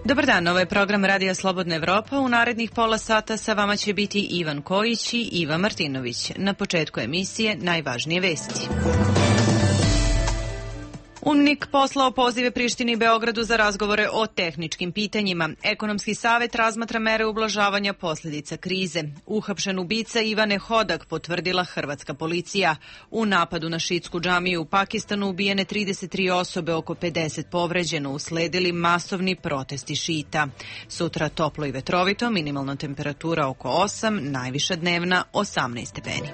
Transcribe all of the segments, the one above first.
Dobar dan, ovo je program Radija Slobodna Evropa. U narednih pola sata sa vama će biti Ivan Kojić i Iva Martinović. Na početku emisije najvažnije vesti. UNMIK poslao pozive Prištini i Beogradu za razgovore o tehničkim pitanjima. Ekonomski savet razmatra mere ublažavanja posljedica krize. Uhapšen ubica Ivane Hodak potvrdila hrvatska policija. U napadu na šiitsku džamiju u Pakistanu ubijene 33 osobe, oko 50 povređeno, usledili masovni protesti šita. Sutra toplo i vetrovito, minimalna temperatura oko 8, najviša dnevna 18 stepeni.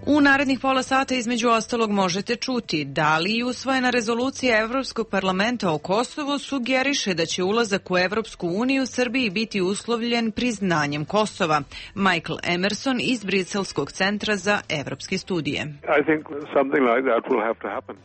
U narednih pola sata između ostalog možete čuti da li i usvojena rezolucija Evropskog parlamenta o Kosovu sugeriše da će ulazak u Evropsku uniju Srbiji biti uslovljen priznanjem Kosova. Michael Emerson iz Briselskog centra za evropske studije.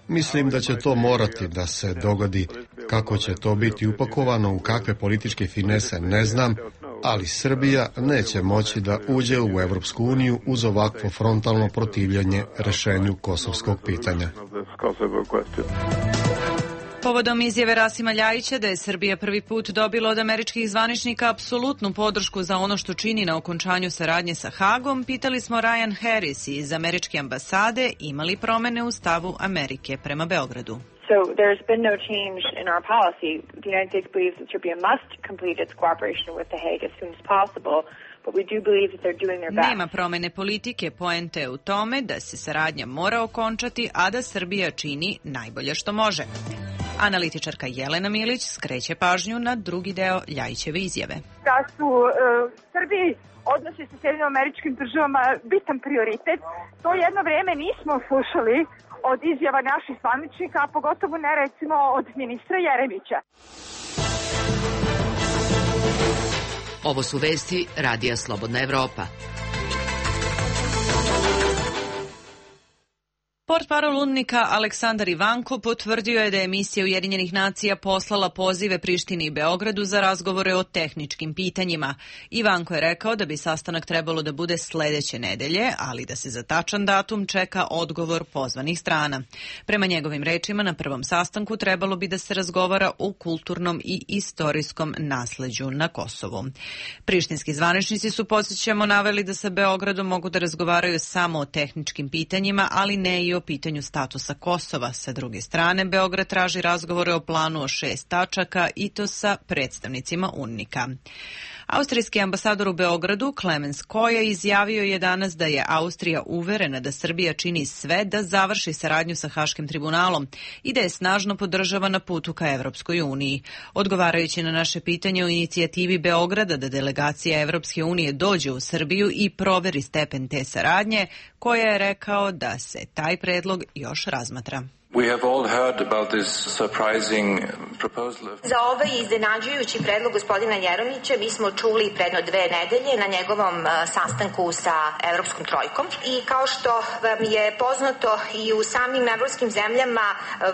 Mislim da će to morati da se dogodi. Kako će to biti upakovano, u kakve političke finese, ne znam, ali Srbija neće moći da uđe u Evropsku uniju uz ovakvo frontalno protivljenje rešenju kosovskog pitanja. Povodom izjave Rasima Ljajića da je Srbija prvi put dobila od američkih zvaničnika apsolutnu podršku za ono što čini na okončanju saradnje sa Hagom, pitali smo Ryan Harris iz američke ambasade ima li promene u stavu Amerike prema Beogradu. So there's been no change in our policy. The United States believes that Serbia must complete its cooperation with The Hague as soon as possible, but we do believe that they're doing their best. Nema promene politike, poenta je u tome da se saradnja mora okončati, a da Srbija čini najbolje što može. Analitičarka Jelena Milić skreće pažnju na drugi deo Ljajićeve izjave. Da su Srbiji odnosi sa Sjedinjenim Američkim Državama bitan prioritet, to jedno vreme nismo slušali od izjava naših zvaničnika, a pogotovo ne recimo od ministra Jeremića. Ovo su vesti Radija Slobodna Evropa. Portparol UNMIK-a Aleksandar Ivanko potvrdio je da je misija Ujedinjenih nacija poslala pozive Prištini i Beogradu za razgovore o tehničkim pitanjima. Ivanko je rekao da bi sastanak trebalo da bude sledeće nedelje, ali da se za tačan datum čeka odgovor pozvanih strana. Prema njegovim rečima, na prvom sastanku trebalo bi da se razgovara o kulturnom i istorijskom nasleđu na Kosovu. Prištinski zvaničnici su, podsjećamo, naveli da sa Beogradom mogu da razgovaraju samo o tehničkim pitanjima, ali ne i o pitanju statusa Kosova. Sa druge strane, Beograd traži razgovore o planu o 6 tačaka i to sa predstavnicima UNMIK-a. Austrijski ambasador u Beogradu, Clemens Koja, izjavio je danas da je Austrija uverena da Srbija čini sve da završi saradnju sa Haškim tribunalom i da je snažno podržava na putu ka Evropskoj uniji. Odgovarajući na naše pitanje o inicijativi Beograda da delegacija Evropske unije dođe u Srbiju i proveri stepen te saradnje, Koja je rekao da se taj predlog još razmatra. Za ovaj iznenađujući predlog gospodina Jeremića mi smo čuli predno 2 nedelje na njegovom sastanku sa Evropskom trojkom i kao što vam je poznato i u samim evropskim zemljama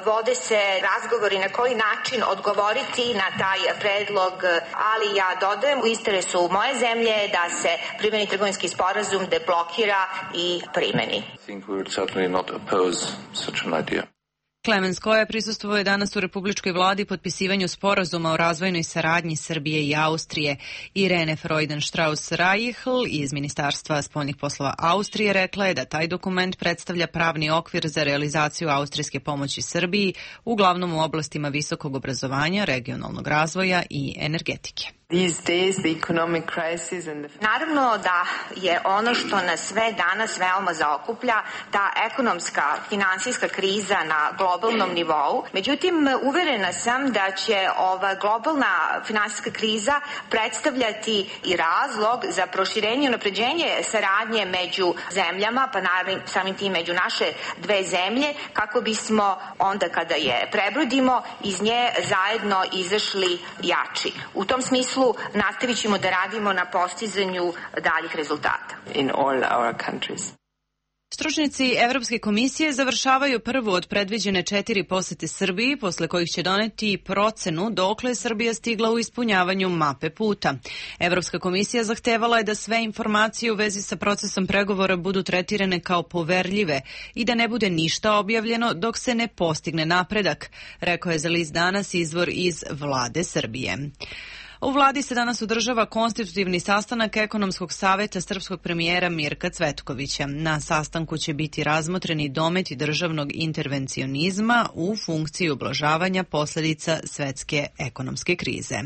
vode se razgovori na koji način odgovoriti na taj predlog, ali ja dodajem u interesu moje zemlje da se primeni trgovinski sporazum, deblokira i primeni. Clemens Koja prisustvovao je danas u Republičkoj vladi potpisivanju sporazuma o razvojnoj saradnji Srbije i Austrije. Irene Freudenstrauss-Reichel iz Ministarstva spoljnih poslova Austrije rekla je da taj dokument predstavlja pravni okvir za realizaciju austrijske pomoći Srbiji, uglavnom u oblastima visokog obrazovanja, regionalnog razvoja i energetike. Naravno da je ono što nas sve danas veoma zaokuplja ta ekonomska, finansijska kriza na globalnom nivou. Međutim, uverena sam da će ova globalna finansijska kriza predstavljati i razlog za proširenje i unapređenje saradnje među zemljama, pa naravno samim tim među naše dve zemlje, kako bismo onda kada je prebrodimo iz nje zajedno izašli jači. U tom smislu nastavit ćemo da radimo na postizanju daljih rezultata. Stručnjaci Evropske komisije završavaju prvu od predviđene 4 posete Srbiji, posle kojih će doneti procenu dokle je Srbija stigla u ispunjavanju mape puta. Evropska komisija zahtevala je da sve informacije u vezi sa procesom pregovora budu tretirane kao poverljive i da ne bude ništa objavljeno dok se ne postigne napredak, rekao je za list Danas izvor iz vlade Srbije. U vladi se danas održava konstitutivni sastanak Ekonomskog saveta srpskog premijera Mirka Cvetkovića. Na sastanku će biti razmotreni dometi državnog intervencionizma u funkciji ublažavanja posledica svetske ekonomske krize.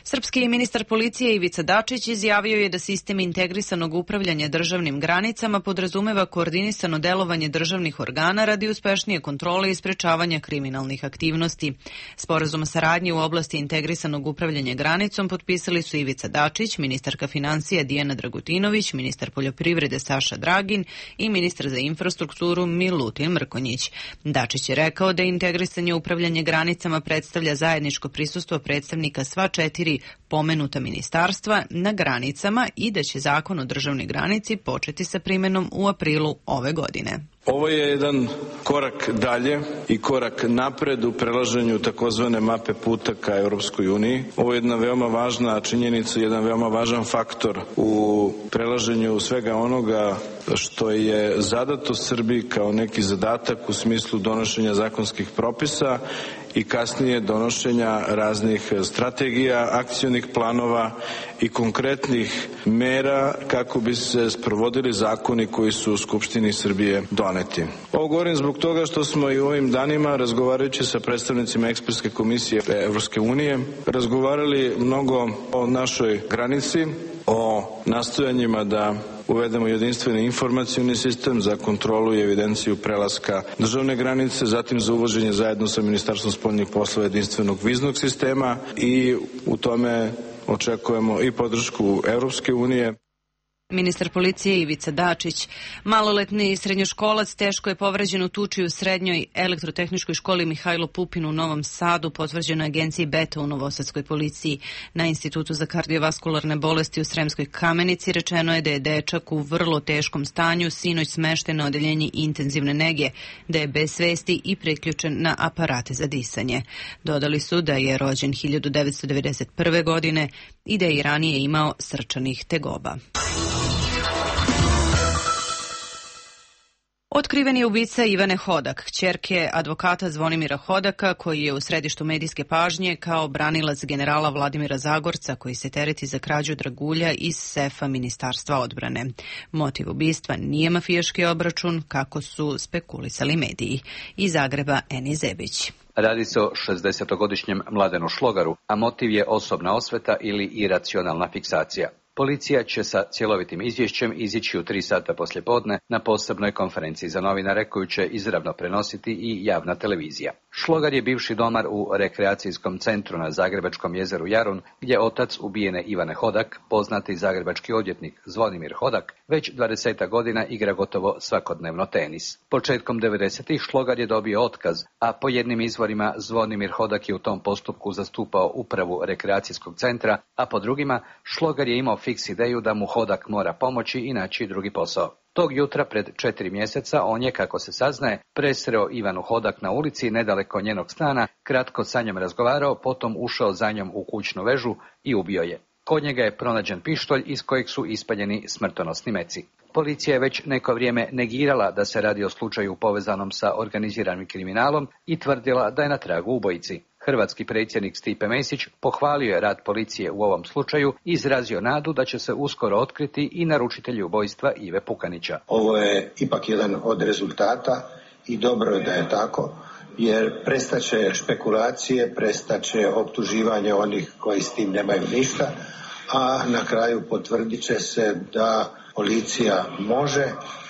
Srpski ministar policije Ivica Dačić izjavio je da sistem integrisanog upravljanja državnim granicama podrazumeva koordinisano delovanje državnih organa radi uspešnije kontrole i sprečavanja kriminalnih aktivnosti. Sporazum o saradnji u oblasti integrisanog upravljanja granicom potpisali su Ivica Dačić, ministarka financija Dijana Dragutinović, ministar poljoprivrede Saša Dragin i ministar za infrastrukturu Milutin Mrkonjić. Dačić je rekao da integrisanje upravljanje granicama predstavlja zajedničko prisustvo predstavnika sva 4 pomenuta ministarstva na granicama i da će zakon o državnoj granici početi sa primenom u aprilu ove godine. Ovo je jedan korak dalje i korak napred u prelaženju takozvane mape puta ka Europskoj uniji. Ovo je jedna veoma važna činjenica, jedan veoma važan faktor u prelaženju svega onoga što je zadato Srbiji kao neki zadatak u smislu donošenja zakonskih propisa i kasnije donošenja raznih strategija, akcionih planova i konkretnih mera kako bi se sprovodili zakoni koji su u Skupštini Srbije doneti. Ovo govorim zbog toga što smo i u ovim danima, razgovarajući sa predstavnicima Ekspertske komisije Evropske unije, razgovarali mnogo o našoj granici, o nastojanjima da uvedemo jedinstveni informacioni sistem za kontrolu i evidenciju prelaska državne granice, zatim za uvođenje zajedno sa Ministarstvom spoljnih poslova jedinstvenog viznog sistema i u tome očekujemo i podršku Evropske unije. Ministar policije Ivica Dačić. Maloletni srednjoškolac teško je povređen u tuči u srednjoj elektrotehničkoj školi Mihajlo Pupin u Novom Sadu, potvrđeno agenciji Beta u Novosadskoj policiji. Na Institutu za kardiovaskularne bolesti u Sremskoj Kamenici rečeno je da je dečak u vrlo teškom stanju sinoć smešten na odeljenje intenzivne nege, da je bez svesti i priključen na aparate za disanje. Dodali su da je rođen 1991. godine i da je i ranije imao srčanih tegoba. Otkriven je ubica Ivane Hodak, kćerke advokata Zvonimira Hodaka, koji je u središtu medijske pažnje kao branilac generala Vladimira Zagorca, koji se tereti za krađu dragulja iz sefa Ministarstva odbrane. Motiv ubistva nije mafijaški obračun, kako su spekulisali mediji. Iz Zagreba Eni Zebić. Radi se o 60-godišnjem Mladenu Šlogaru, a motiv je osobna osveta ili iracionalna fiksacija. Policija će sa cjelovitim izvješćem izići u 3 sata poslijepodne na posebnoj konferenciji za novinare koju će izravno prenositi i javna televizija. Šlogar je bivši domar u rekreacijskom centru na zagrebačkom jezeru Jarun, gdje otac ubijene Ivane Hodak, poznati zagrebački odvjetnik Zvonimir Hodak, već 20 godina igra gotovo svakodnevno tenis. Početkom 90-ih Šlogar je dobio otkaz, a po jednim izvorima Zvonimir Hodak je u tom postupku zastupao upravu rekreacijskog centra, a po drugima Šlogar je imao fiks ideju da mu Hodak mora pomoći i naći drugi posao. Tog jutra pred 4 mjeseca on je, kako se saznaje, presreo Ivanu Hodak na ulici nedaleko njenog stana, kratko sa njom razgovarao, potom ušao za njom u kućnu vežu i ubio je. Kod njega je pronađen pištolj iz kojeg su ispaljeni smrtonosni meci. Policija je već neko vrijeme negirala da se radi o slučaju povezanom sa organiziranim kriminalom i tvrdila da je na tragu ubojici. Hrvatski predsjednik Stipe Mesić pohvalio je rad policije u ovom slučaju i izrazio nadu da će se uskoro otkriti i naručitelji ubojstva Ive Pukanića. Ovo je ipak jedan od rezultata i dobro je da je tako, jer prestaće špekulacije, prestaće optuživanje onih koji s tim nemaju ništa, a na kraju potvrdit će se da policija može,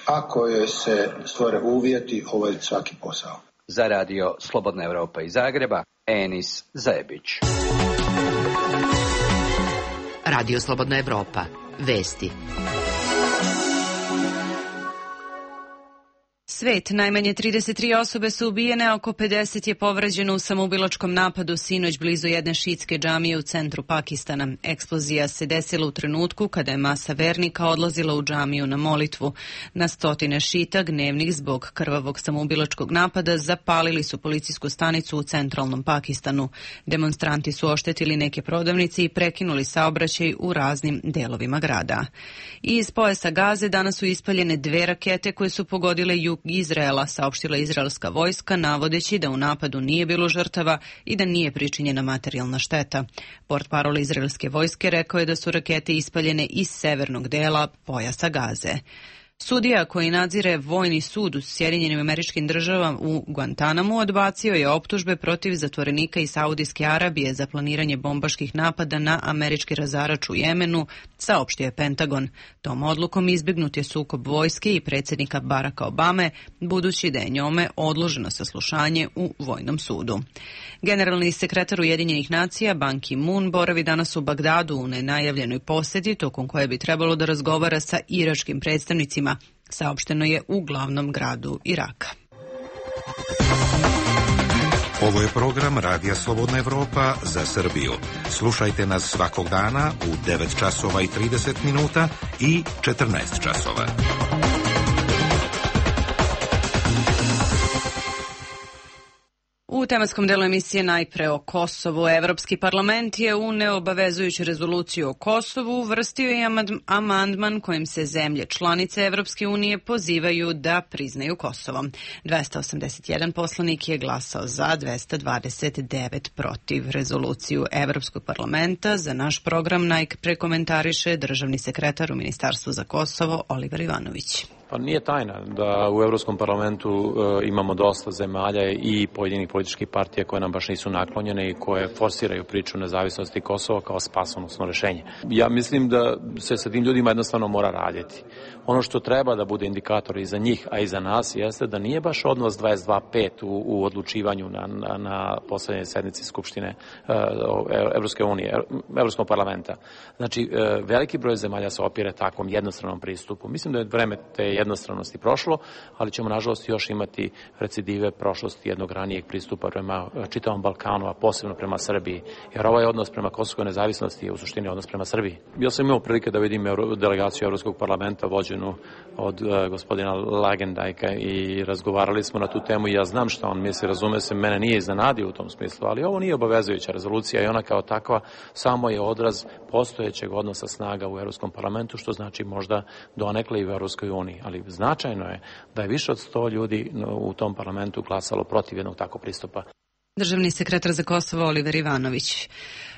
ako joj se stvore uvjeti, obaviti svaki posao. Za radio Slobodna Europa iz Zagreba, Enis Zebić. Radio Slobodna Europa. Vesti. Svet, najmanje 33 osobe su ubijene, a oko 50 je povređeno u samoubilačkom napadu sinoć blizu jedne šiitske džamije u centru Pakistana. Eksplozija se desila u trenutku kada je masa vernika odlazila u džamiju na molitvu. Na stotine šita, gnevnih zbog krvavog samoubilačkog napada, zapalili su policijsku stanicu u centralnom Pakistanu. Demonstranti su oštetili neke prodavnice i prekinuli saobraćaj u raznim delovima grada. I iz pojasa Gaze danas su ispaljene 2 rakete koje su pogodile jug Izraela, saopštila izraelska vojska, navodeći da u napadu nije bilo žrtava i da nije pričinjena materijalna šteta. Portparol izraelske vojske rekao je da su rakete ispaljene iz severnog dela pojasa Gaze. Sudija koji nadzire vojni sud u Sjedinjenim Američkim Državama u Guantanamu odbacio je optužbe protiv zatvorenika iz Saudijske Arabije za planiranje bombaških napada na američki razarač u Jemenu, saopštio je Pentagon. Tom odlukom izbjegnut je sukob vojske i predsjednika Baracka Obame, budući da je njome odloženo saslušanje u vojnom sudu. Generalni sekretar Ujedinjenih nacija Ban Ki-moon boravi danas u Bagdadu u nenajavljenoj posjeti, tokom koje bi trebalo da razgovara sa iračkim predstavnicima, saopšteno je u glavnom gradu Iraka. Ovo je program Radija Slobodna Evropa za Srbiju. Slušajte nas svakog dana u 9 časova i 30 minuta i 14 časova. U tematskom delu emisije najpre o Kosovu. Evropski parlament je u neobavezujuću rezoluciju o Kosovu uvrstio i amandman kojim se zemlje članice Evropske unije pozivaju da priznaju Kosovo. 281 poslanik je glasao za, 229 protiv. Rezoluciju Evropskog parlamenta za naš program najpre komentariše državni sekretar u Ministarstvu za Kosovo Oliver Ivanović. Pa nije tajna da u Evropskom parlamentu imamo dosta zemalja i pojedinih političkih partija koje nam baš nisu naklonjene i koje forsiraju priču nezavisnosti Kosova kao spasonosno rešenje. Ja mislim da se sa tim ljudima jednostavno mora raditi. Ono što treba da bude indikator i za njih, a i za nas, jeste da nije baš odnos 22:5 u odlučivanju na poslednjoj sednici Skupštine Evropske unije, Evropskog parlamenta. Znači, veliki broj zemalja se opire takvom jednostranom pristupu. Mislim da je vreme te jednostranosti prošlo, ali ćemo nažalost još imati recidive prošlosti jednog ranijeg pristupa prema čitavom Balkanu, a posebno prema Srbiji. Jer ovaj odnos prema kosovskoj nezavisnosti je u suštini odnos prema Srbiji. Ja sam imao prilike da vidim delegaciju Evropskog parlamenta vođenu od gospodina Lagendajka i razgovarali smo na tu temu i ja znam šta on misli, razume se, mene nije iznenadio u tom smislu, ali ovo nije obavezujuća rezolucija i ona kao takva samo je odraz postojećeg odnosa snaga u Evropskom parlamentu, što znači možda donekle i u Evropskoj uniji. Ali značajno je da je više od 100 ljudi u tom parlamentu glasalo protiv jednog takvog pristupa. Državni sekretar za Kosovo Oliver Ivanović.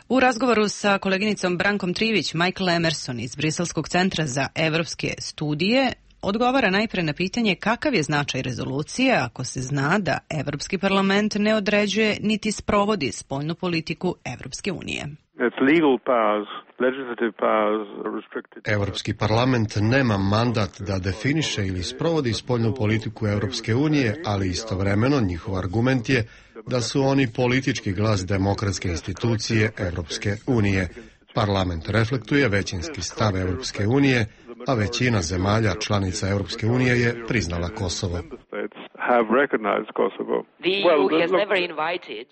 U razgovoru sa koleginicom Brankom Trivić, Michael Emerson iz Briselskog centra za evropske studije odgovara najpre na pitanje kakav je značaj rezolucije ako se zna da Evropski parlament ne određuje niti sprovodi spoljnu politiku Evropske unije. Evropski parlament nema mandat da definiše ili sprovodi spoljnu politiku Evropske unije, ali istovremeno njihov argument je da su oni politički glas demokratske institucije Evropske unije. Parlament reflektuje većinski stav Evropske unije, a većina zemalja članica Evropske unije je priznala Kosovo.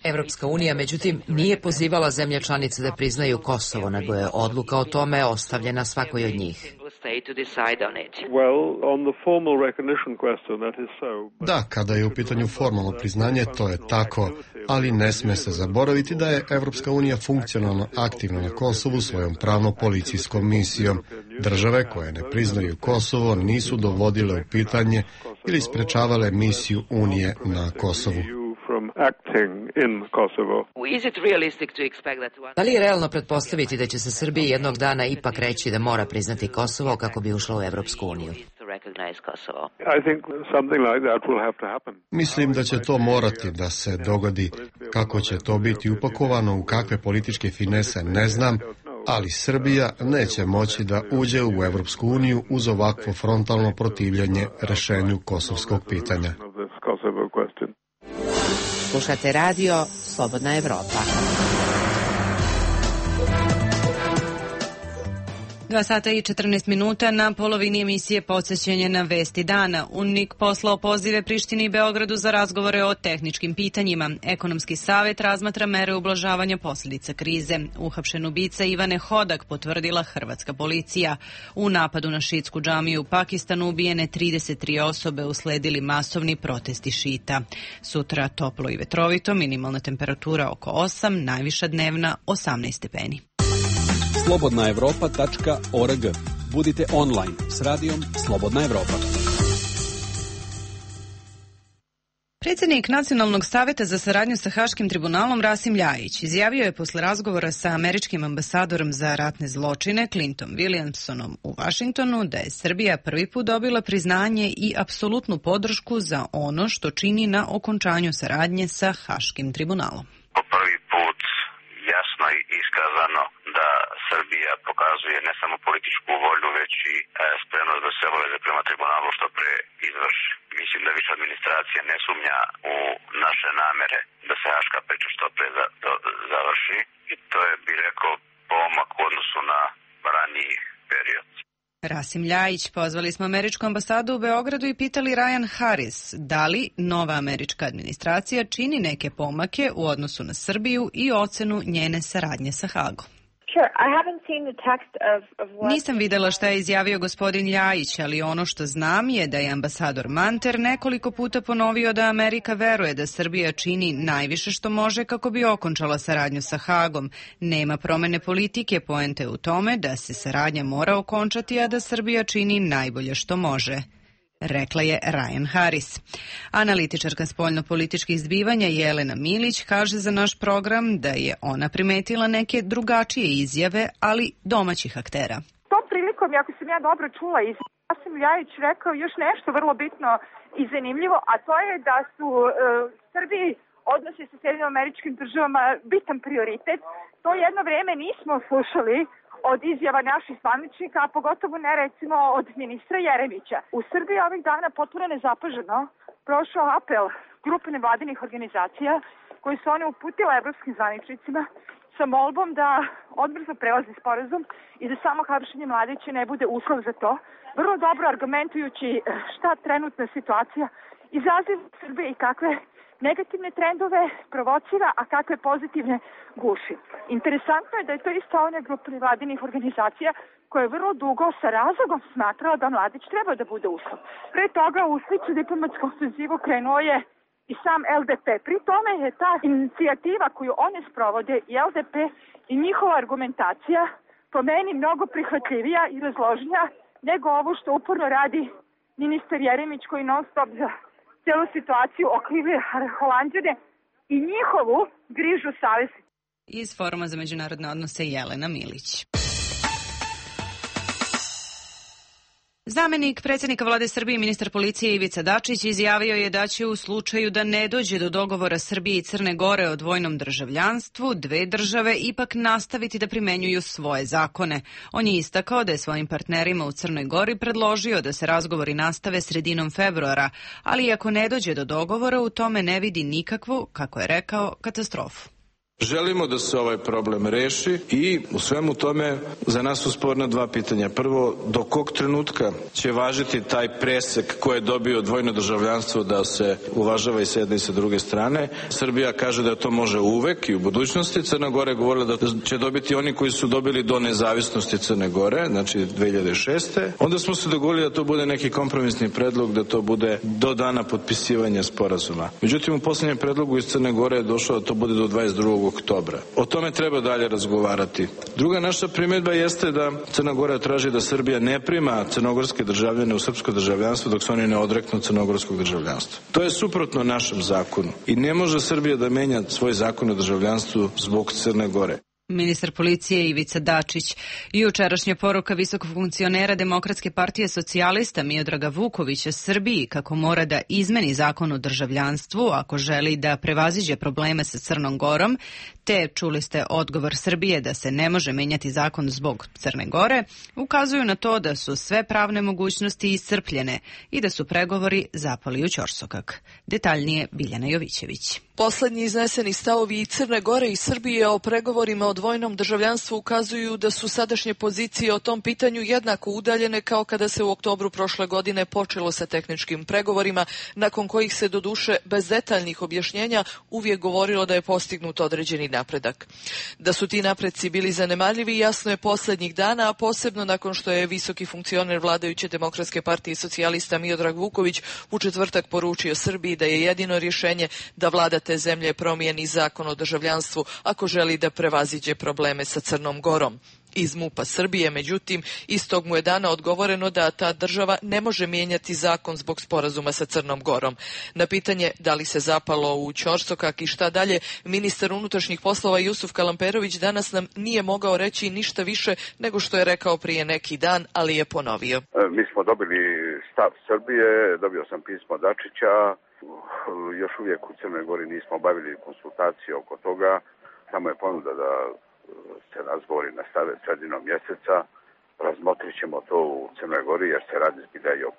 Evropska unija, međutim, nije pozivala zemlje članice da priznaju Kosovo, nego je odluka o tome ostavljena svakoj od njih. Da, kada je u pitanju formalno priznanje, to je tako, ali ne sme se zaboraviti da je Evropska unija funkcionalno aktivna na Kosovu svojom pravno-policijskom misijom. Države koje ne priznaju Kosovo nisu dovodile u pitanje ili sprečavale misiju Unije na Kosovu. Da li je realno pretpostaviti da će se Srbiji jednog dana ipak reći da mora priznati Kosovo kako bi ušla u Evropsku uniju? Mislim da će to morati da se dogodi. Kako će to biti upakovano, u kakve političke finese, ne znam, ali Srbija neće moći da uđe u Evropsku uniju uz ovakvo frontalno protivljenje rešenju kosovskog pitanja. Slušate radio Slobodna Evropa. 2 sata i 14 minuta na polovini emisije Podsjećanje na vesti dana. UNMIK poslao pozive Prištini i Beogradu za razgovore o tehničkim pitanjima. Ekonomski savet razmatra mere ublažavanja posljedica krize. Uhapšen ubica Ivane Hodak potvrdila hrvatska policija. U napadu na šiitsku džamiju u Pakistanu ubijene 33 osobe, usledili masovni protesti šita. Sutra toplo i vetrovito, minimalna temperatura oko 8, najviša dnevna 18 stepeni. slobodnaevropa.org. Budite online s radijom Slobodna Evropa. Predsjednik Nacionalnog saveta za saradnju sa Haškim tribunalom Rasim Ljajić izjavio je posle razgovora sa američkim ambasadorom za ratne zločine Clinton Williamsonom u Vašingtonu da je Srbija prvi put dobila priznanje i apsolutnu podršku za ono što čini na okončanju saradnje sa Haškim tribunalom. Prvi put jasno i iskazano da Srbija pokazuje ne samo političku volju, već i spremnost da se obaveze prema tribunalu što pre izvrši. Mislim da više administracija ne sumnja u naše namere da se haška priča što pre završi i to je, bi rekao, pomak u odnosu na raniji period. Rasim Ljajić, pozvali smo američku ambasadu u Beogradu i pitali Ryan Harris da li nova američka administracija čini neke pomake u odnosu na Srbiju i ocenu njene saradnje sa Hagom. Nisam videla šta je izjavio gospodin Ljajić, ali ono što znam je da je ambasador Manter nekoliko puta ponovio da Amerika veruje da Srbija čini najviše što može kako bi okončala saradnju sa Hagom. Nema promene politike, poente u tome da se saradnja mora okončati, a da Srbija čini najbolje što može, rekla je Ryan Harris. Analitičarka spoljno-političkih zbivanja Jelena Milić kaže za naš program da je ona primetila neke drugačije izjave, ali domaćih aktera. Tom prilikom, ako sam ja dobro čula, Rasim Ljajić rekao još nešto vrlo bitno i zanimljivo, a to je da su Srbiji odnosi sa Sjedinjenim Američkim Državama bitan prioritet. To jedno vreme nismo slušali od izjava naših zvaničnika, a pogotovo ne recimo od ministra Jeremića. U Srbiji ovih dana potpuno nezapaženo prošao apel grupe nevladinih organizacija koji su one uputile evropskim zvaničnicima sa molbom da odbrzo prelazi sporazum i da samo hapšenje Mladića ne bude uslov za to. Vrlo dobro argumentujući šta trenutna situacija izaziva u Srbiji i kakve negativne trendove provocira, a kakve pozitivne guši. Interesantno je da je to isto ona grupa nevladinih organizacija koja je vrlo dugo sa razlogom smatrala da Mladić treba da bude uslov. Pre toga u sličnu diplomatsku ofenzivu krenuo je i sam LDP. Pri tome je ta inicijativa koju one sprovode i LDP i njihova argumentacija po meni mnogo prihvatljivija i razloženija nego ovo što uporno radi ministar Jeremić koji non stop za celu situaciju okrivljuje Holanđane i njihovu grižu savesti. Iz Foruma za međunarodne odnose Jelena Milić. Zamenik predsjednika vlade Srbije i ministar policije Ivica Dačić izjavio je da će u slučaju da ne dođe do dogovora Srbije i Crne Gore o dvojnom državljanstvu, dve države ipak nastaviti da primenjuju svoje zakone. On je istakao da je svojim partnerima u Crnoj Gori predložio da se razgovori nastave sredinom februara, ali ako ne dođe do dogovora u tome ne vidi nikakvu, kako je rekao, katastrofu. Želimo da se ovaj problem reši i u svemu tome za nas su sporna dva pitanja. Prvo, do kog trenutka će važiti taj presek koji je dobio dvojno državljanstvo da se uvažava i s jedne i sa druge strane. Srbija kaže da to može uvek i u budućnosti. Crna Gora je govorila da će dobiti oni koji su dobili do nezavisnosti Crne Gore, znači 2006. Onda smo se dogovorili da to bude neki kompromisni predlog, da to bude do dana potpisivanja sporazuma. Međutim, u posljednjem predlogu iz Crne Gore je došlo da to bude do 22. oktobra. O tome treba dalje razgovarati. Druga naša primjedba jeste da Crna Gora traži da Srbija ne prima crnogorske državljane u srpsko državljanstvo dok se oni ne odreknu crnogorskog državljanstva. To je suprotno našem zakonu i ne može Srbija da menja svoj zakon o državljanstvu zbog Crne Gore. Ministar policije Ivica Dačić. Jučerašnja poruka visokog funkcionera Demokratske partije socijalista Miodraga Vukovića Srbiji kako mora da izmeni zakon o državljanstvu ako želi da prevaziđe probleme sa Crnom Gorom, te čuli ste odgovor Srbije da se ne može menjati zakon zbog Crne Gore, ukazuju na to da su sve pravne mogućnosti iscrpljene i da su pregovori zapali u ćorsokak. Detaljnije Biljana Jovićević. Poslednji izneseni stavovi i Crne Gore i Srbije o pregovorima o dvojnom državljanstvu ukazuju da su sadašnje pozicije o tom pitanju jednako udaljene kao kada se u oktobru prošle godine počelo sa tehničkim pregovorima, nakon kojih se doduše bez detaljnih objašnjenja uvijek govorilo da je postignut određeni napredak. Da su ti napreci bili zanemarljivi jasno je poslednjih dana, a posebno nakon što je visoki funkcioner vladajuće Demokratske partije socijalista Miodrag Vuković u četvrtak poručio Srbiji da je jedino rješenje da vlada te zemlje promijeni zakon o državljanstvu ako želi da prevaziđe probleme sa Crnom Gorom. Iz MUP-a Srbije, međutim, istog mu je dana odgovoreno da ta država ne može mijenjati zakon zbog sporazuma sa Crnom Gorom. Na pitanje da li se zapalo u ćorsokak i šta dalje, ministar unutrašnjih poslova Jusuf Kalamperović danas nam nije mogao reći ništa više nego što je rekao prije neki dan, ali je ponovio. Mi smo dobili stav Srbije, dobio sam pismo Dačića, još uvijek u Crnoj Gori nismo obavili konsultacije oko toga, samo je ponuda da se razgovori nastave sredinom mjeseca, razmotrit ćemo to u Crnoj Gori jer se radi da je o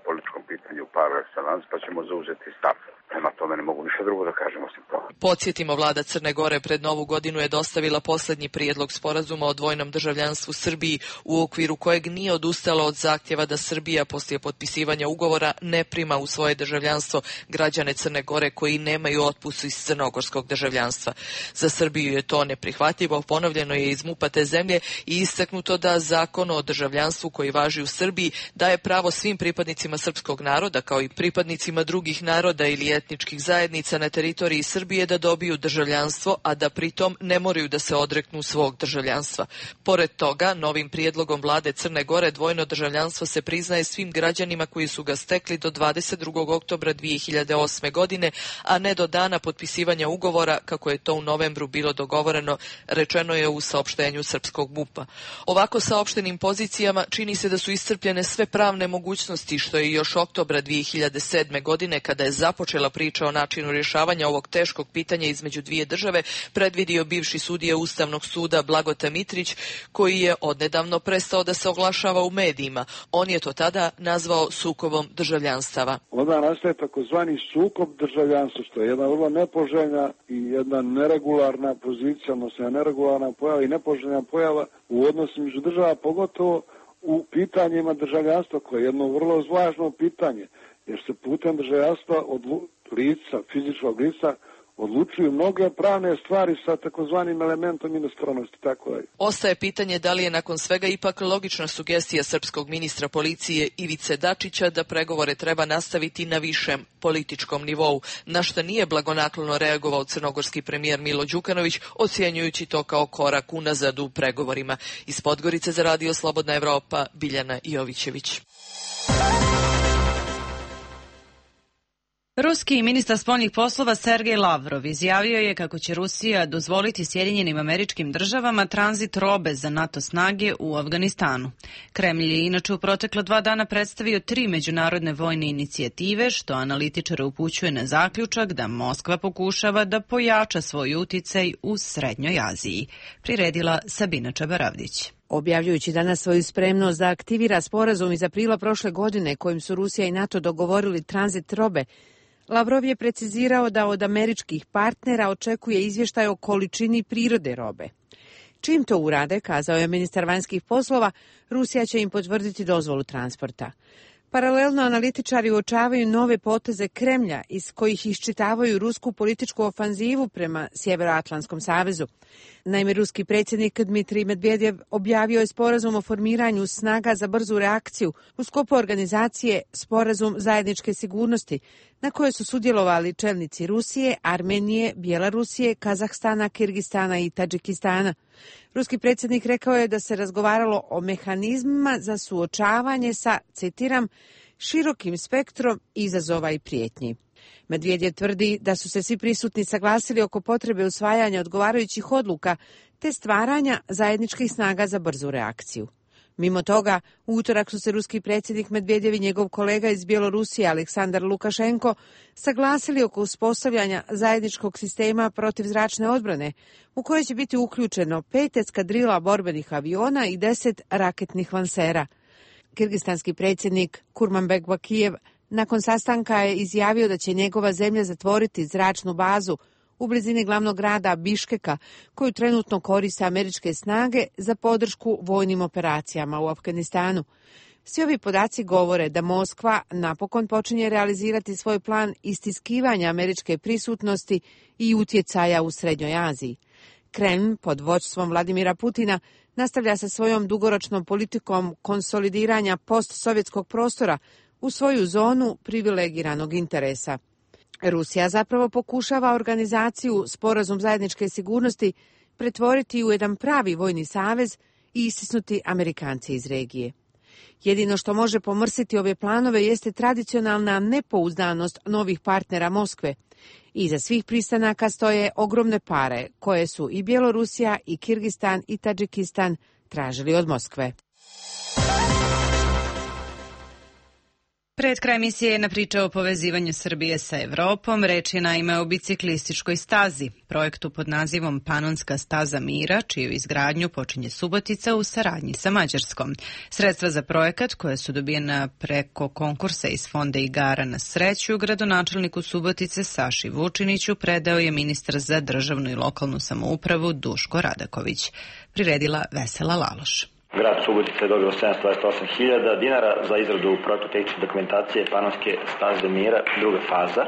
političkom pitanju par excellence, pa ćemo zauzeti stav. Prema tome ne mogu ništa drugo da kažem osim to. Podsjetimo, vlada Crne Gore pred Novu godinu je dostavila poslednji prijedlog sporazuma o dvojnom državljanstvu Srbiji, u okviru kojeg nije odustala od zahtjeva da Srbija poslije potpisivanja ugovora ne prima u svoje državljanstvo građane Crne Gore koji nemaju otpust iz crnogorskog državljanstva. Za Srbiju je to neprihvatljivo, ponovljeno je iz MUP-a te zemlje i istaknuto da zakon o državljanstvu koji važi u Srbiji daje pravo svim pripadnicima srpskog naroda kao i pripadnicima drugih naroda ili etničkih zajednica na teritoriji Srbije da dobiju državljanstvo, a da pritom ne moraju da se odreknu svog državljanstva. Pored toga, novim prijedlogom vlade Crne Gore dvojno državljanstvo se priznaje svim građanima koji su ga stekli do 22. oktobra 2008. godine, a ne do dana potpisivanja ugovora, kako je to u novembru bilo dogovoreno, rečeno je u saopštenju srpskog MUP-a. Ovako saopštenim pozicijama čini se da su iscrpljene sve pravne mogućnosti, što je još oktobra 2007. godine, kada je započela priča o načinu rješavanja ovog teškog pitanja između dvije države, predvidio bivši sudija Ustavnog suda Blagota Mitrić, koji je odnedavno prestao da se oglašava u medijima. On je to tada nazvao sukobom državljanstava. Onda nastaje takozvani sukob državljanstva, što je jedna vrlo nepoželjna i jedna neregularna pozicija, odnosno neregularna pojava i nepoželjna pojava u odnosu među država, pogotovo u pitanjima državljanstva, koje je jedno vrlo važno pitanje, jer se putem državljanstva od lica, fizičkog lica, odlučuju mnoge pravne stvari sa takozvanim elementom inostranosti, tako da. Ostaje pitanje da li je nakon svega ipak logična sugestija srpskog ministra policije Ivice Dačića da pregovore treba nastaviti na višem političkom nivou, na što nije blagonaklono reagovao crnogorski premijer Milo Đukanović, ocjenjujući to kao korak unazad u pregovorima. Iz Podgorice za Radio Slobodna Evropa, Biljana Jovićević. Ruski ministar spoljnih poslova Sergej Lavrov izjavio je kako će Rusija dozvoliti Sjedinjenim Američkim Državama tranzit robe za NATO snage u Afganistanu. Kremlj je inače u protekla 2 dana predstavio 3 međunarodne vojne inicijative, što analitičare upućuje na zaključak da Moskva pokušava da pojača svoj uticaj u Srednjoj Aziji. Priredila Sabina Čabaravdić. Objavljujući danas svoju spremnost da aktivira sporazum iz aprila prošle godine kojim su Rusija i NATO dogovorili tranzit robe, Lavrov je precizirao da od američkih partnera očekuje izvještaj o količini prirode robe. Čim to urade, kazao je ministar vanjskih poslova, Rusija će im potvrditi dozvolu transporta. Paralelno analitičari uočavaju nove poteze Kremlja iz kojih iščitavaju rusku političku ofanzivu prema Sjevernoatlantskom savezu. Naime, ruski predsjednik Dmitrij Medvedev objavio je sporazum o formiranju snaga za brzu reakciju u sklopu organizacije Sporazum zajedničke sigurnosti, na kojoj su sudjelovali čelnici Rusije, Armenije, Bjelorusije, Kazahstana, Kirgistana i Tadžikistana. Ruski predsjednik rekao je da se razgovaralo o mehanizmima za suočavanje sa, citiram, širokim spektrom izazova i prijetnji. Medvedev tvrdi da su se svi prisutni saglasili oko potrebe usvajanja odgovarajućih odluka te stvaranja zajedničkih snaga za brzu reakciju. Mimo toga, u utorak su se ruski predsjednik Medvedev i njegov kolega iz Bjelorusije Aleksandar Lukašenko saglasili oko uspostavljanja zajedničkog sistema protivzračne odbrane, u kojoj će biti uključeno 5 eskadrila borbenih aviona i 10 raketnih lansera. Kirgistanski predsjednik Kurmanbek Bakijev Nakon sastanka je izjavio da će njegova zemlja zatvoriti zračnu bazu u blizini glavnog grada Biškeka, koju trenutno koriste američke snage za podršku vojnim operacijama u Afganistanu. Svi ovi podaci govore da Moskva napokon počinje realizirati svoj plan istiskivanja američke prisutnosti i utjecaja u Srednjoj Aziji. Kreml pod vođstvom Vladimira Putina nastavlja sa svojom dugoročnom politikom konsolidiranja postsovjetskog prostora u svoju zonu privilegiranog interesa. Rusija zapravo pokušava organizaciju Sporazum zajedničke sigurnosti pretvoriti u jedan pravi vojni savez i istisnuti Amerikance iz regije. Jedino što može pomrsiti ove planove jeste tradicionalna nepouzdanost novih partnera Moskve. Iza svih pristanaka stoje ogromne pare koje su i Bjelorusija i Kirgistan i Tadžikistan tražili od Moskve. Pred kraj emisije je priča o povezivanju Srbije sa Evropom. Reč je naime o biciklističkoj stazi, projektu pod nazivom Panonska staza mira, čiju izgradnju počinje Subotica u saradnji sa Mađarskom. Sredstva za projekat, koje su dobijena preko konkursa iz Fonda igara na sreću, gradonačelniku Subotice Saši Vučiniću predao je ministar za državnu i lokalnu samoupravu Duško Radaković. Priredila Vesela Laloš. Grad Subotica je dobio 728.000 dinara za izradu projektno-tehničke dokumentacije Panonske staze mira, druga faza,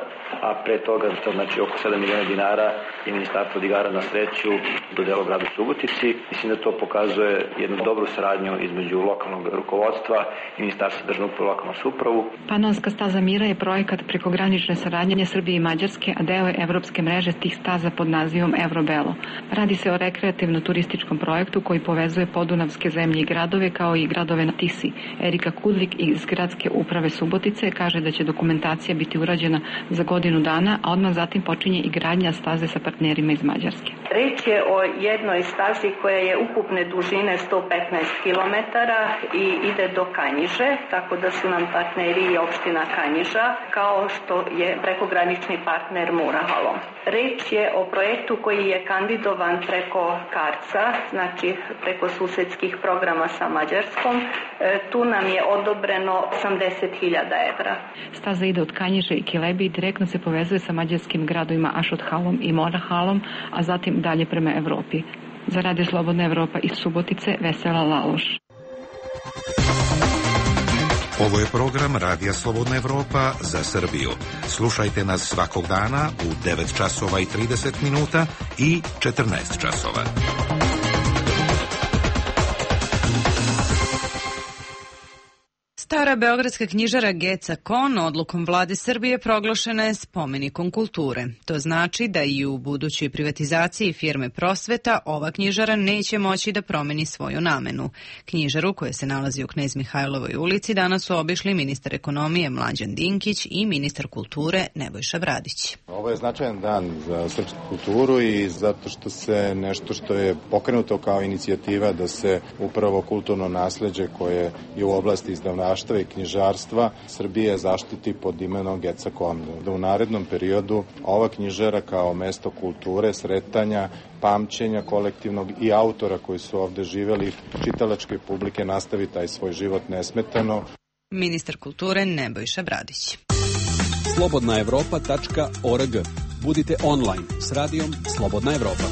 a pre toga znači oko 7 miliona dinara je Ministarstvo od igara na sreću dodelilo gradu Subotici. Mislim da to pokazuje jednu dobru saradnju između lokalnog rukovodstva i Ministarstva državne uprave i lokalnu samoupravu. Panonska staza mira je projekat prekogranične saradnje Srbije i Mađarske, a deo je evropske mreže tih staza pod nazivom Evrobelo. Radi se o rekreativno-turističkom projektu koji povezuje podunavske zemlje i gradove kao i gradove na Tisi. Erika Kudlik iz Gradske uprave Subotice kaže da će dokumentacija biti urađena za godinu dana, a odmah zatim počinje i gradnja staze sa partnerima iz Mađarske. Reč je o jednoj stazi koja je ukupne dužine 115 km i ide do Kanjiže, tako da su nam partneri i opština Kanjiža, kao što je prekogranični partner Murahalom. Reč je o projektu koji je kandidovan preko Karca, znači preko susedskih programa sa Mađarskom. Tu nam je odobreno 80.000 evra. Staza ide od Kanjiže i Kilebi i direktno se povezuje sa mađarskim gradovima Ašothalom i Morahalom, a zatim dalje prema Evropi. Za Radio Slobodna Evropa iz Subotice, Vesela Laloš. Ovo je program Radija Slobodna Evropa za Srbiju. Slušajte nas svakog dana u 9 časova i 30 minuta i 14 časova. Stara beogradska knjižara Geca Kon odlukom vlade Srbije proglašena je spomenikom kulture. To znači da i u budućoj privatizaciji firme Prosveta ova knjižara neće moći da promeni svoju namenu. Knjižaru, koja se nalazi u Knez Mihajlovoj ulici, danas su obišli ministar ekonomije Mlađan Dinkić i ministar kulture Nebojša Bradić. Ovo je značajan dan za srpsku kulturu i zato što se nešto što je pokrenuto kao inicijativa da se upravo kulturno nasleđe koje je u oblasti izdavaštva i knjižarstva Srbije zaštiti pod imenom Geca Kon. Da u narednom periodu ova knjižara kao mesto kulture, sretanja, pamćenja kolektivnog i autora koji su ovde živeli, čitalačke publike nastavi taj svoj život nesmetano. Ministar kulture Nebojša Bradić. slobodnaevropa.org. Budite online s radijom Slobodna Evropa.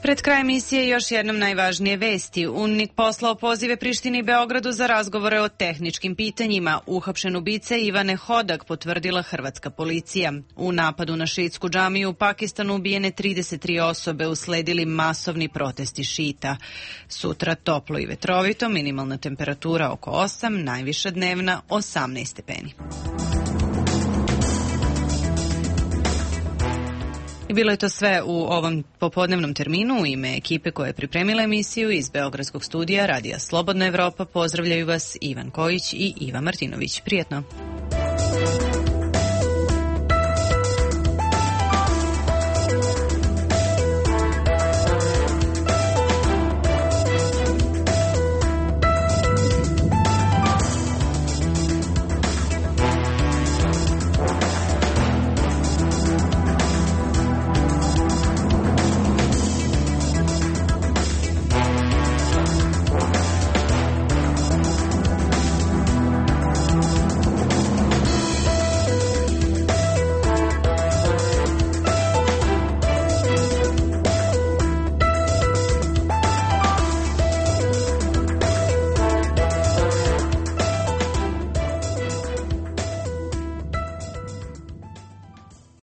Pred kraj emisije još jednom najvažnije vesti. UNMIK poslao pozive Prištini i Beogradu za razgovore o tehničkim pitanjima. Uhapšen ubica Ivane Hodak potvrdila hrvatska policija. U napadu na šiitsku džamiju u Pakistanu ubijene 33 osobe, usledili masovni protesti šita. Sutra toplo i vetrovito, minimalna temperatura oko 8, najviša dnevna 18 stepeni. I bilo je to sve u ovom popodnevnom terminu. U ime ekipe koja je pripremila emisiju iz Beogradskog studija Radija Slobodna Evropa pozdravljaju vas Ivan Kojić i Iva Martinović. Prijetno!